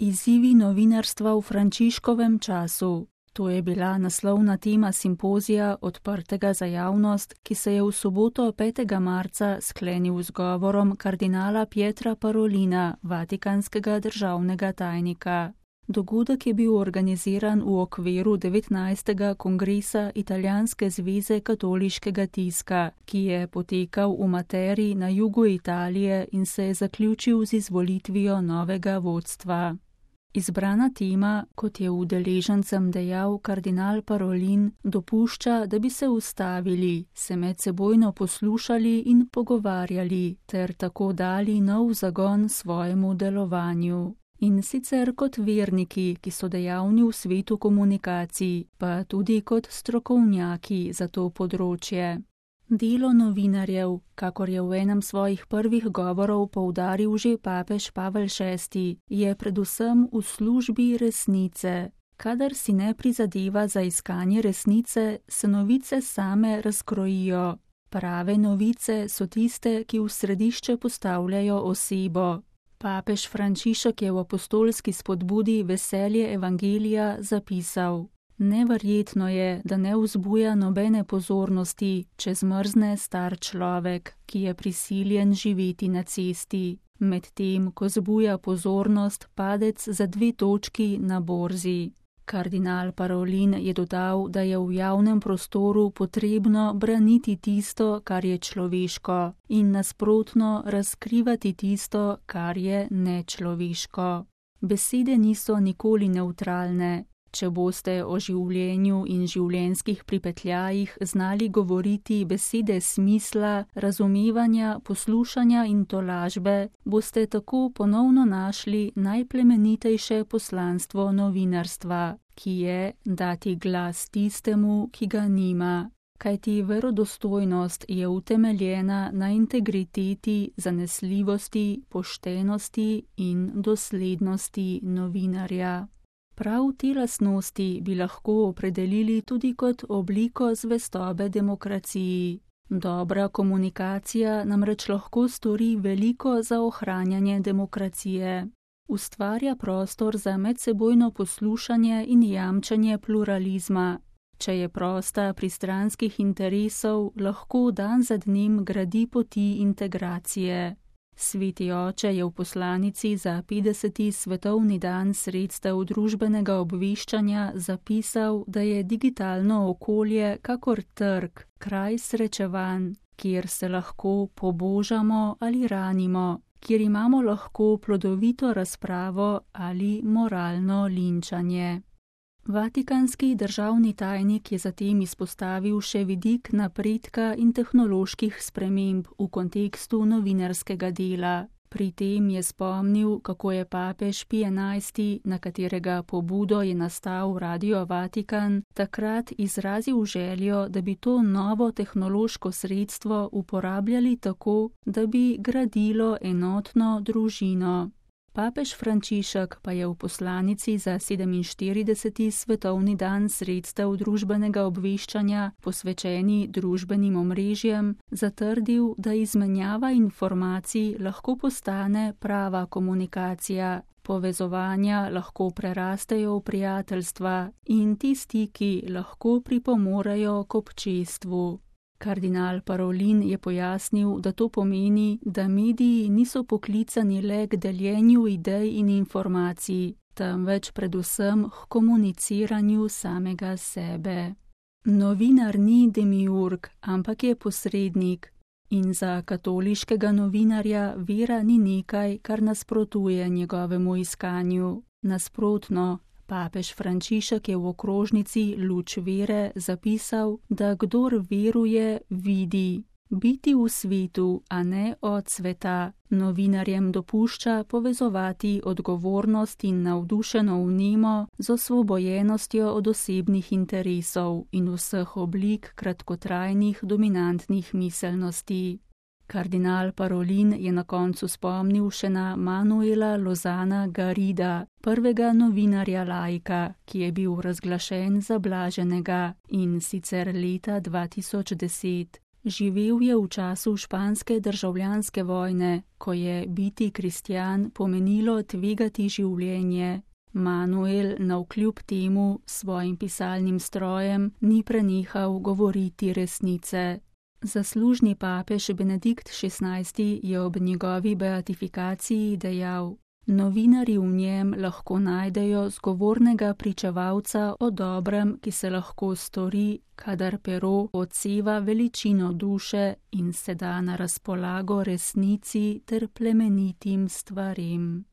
Izzivi novinarstva v Frančiškovem času. To je bila naslovna tema simpozija odprtega za javnost, ki se je v soboto 5. marca sklenil z govorom kardinala Pietra Parolina, vatikanskega državnega tajnika. Dogodek je bil organiziran v okviru 19. kongresa Italijanske zveze katoliškega tiska, ki je potekal v Materi na jugu Italije in se je zaključil z izvolitvijo novega vodstva. Izbrana tema, kot je udeležencem dejal kardinal Parolin, dopušča, da bi se ustavili, se medsebojno poslušali in pogovarjali ter tako dali nov zagon svojemu delovanju. In sicer kot verniki, ki so dejavni v svetu komunikacij, pa tudi kot strokovnjaki za to področje. Delo novinarjev, kakor je v enem svojih prvih govorov poudaril že papež Pavel VI, je predvsem v službi resnice. Kadar si ne prizadeva za iskanje resnice, se novice same razkrojijo. Prave novice so tiste, ki v središče postavljajo osebo. Papež Frančišek je v apostolski spodbudi Veselje evangelija zapisal: Neverjetno je, da ne vzbuja nobene pozornosti, če zmrzne star človek, ki je prisiljen živeti na cesti, medtem ko zbuja pozornost padec za 2 točki na borzi. Kardinal Parolin je dodal, da je v javnem prostoru potrebno braniti tisto, kar je človeško, in nasprotno razkrivati tisto, kar je nečloveško. Besede niso nikoli nevtralne. Če boste o življenju in življenjskih pripetljajih znali govoriti besede smisla, razumevanja, poslušanja in tolažbe, boste tako ponovno našli najplemenitejše poslanstvo novinarstva, ki je dati glas tistemu, ki ga nima. Kajti verodostojnost je utemeljena na integriteti, zanesljivosti, poštenosti in doslednosti novinarja. Prav te lastnosti bi lahko opredelili tudi kot obliko zvestobe demokraciji. Dobra komunikacija namreč lahko stori veliko za ohranjanje demokracije. Ustvarja prostor za medsebojno poslušanje in jamčenje pluralizma. Če je prosta pristranskih interesov, lahko dan za dnem gradi poti integracije. Sveti oče je v poslanici za 50. svetovni dan sredstev družbenega obveščanja zapisal, da je digitalno okolje kakor trg, kraj srečevanj, kjer se lahko pobožamo ali ranimo, kjer imamo lahko plodovito razpravo ali moralno linčanje. Vatikanski državni tajnik je zatem izpostavil še vidik napredka in tehnoloških sprememb v kontekstu novinarskega dela. Pri tem je spomnil, kako je papež Pij XI, na katerega pobudo je nastal Radio Vatikan, takrat izrazil željo, da bi to novo tehnološko sredstvo uporabljali tako, da bi gradilo enotno družino. Papež Frančišek pa je v poslanici za 47. svetovni dan sredstev družbenega obveščanja, posvečeni družbenim omrežjem, zatrdil, da izmenjava informacij lahko postane prava komunikacija, povezovanja lahko prerastejo v prijateljstva in ti stiki lahko pripomorejo k občestvu. Kardinal Parolin je pojasnil, da to pomeni, da mediji niso poklicani le k deljenju idej in informacij, temveč predvsem k komuniciranju samega sebe. Novinar ni demiurg, ampak je posrednik. In za katoliškega novinarja vera ni nekaj, kar nasprotuje njegovemu iskanju. Nasprotno, papež Frančišek je v okrožnici Luč vere zapisal, da kdor veruje, vidi. Biti v svetu, a ne od sveta, novinarjem dopušča povezovati odgovornost in navdušeno vnemo z osvobojenostjo od osebnih interesov in vseh oblik kratkotrajnih dominantnih miselnosti. Kardinal Parolin je na koncu spomnil še na Manuela Lozana Garrida, prvega novinarja laika, ki je bil razglašen za blaženega, in sicer leta 2010. Živel je v času španske državljanske vojne, ko je biti kristjan pomenilo tvegati življenje. Manuel navkljub temu svojim pisalnim strojem ni prenehal govoriti resnice. Zaslužni papež Benedikt XVI je ob njegovi beatifikaciji dejal: Novinarji v njem lahko najdejo zgovornega pričevalca o dobrem, ki se lahko stori, kadar pero odseva veličino duše in se da na razpolago resnici ter plemenitim stvarem.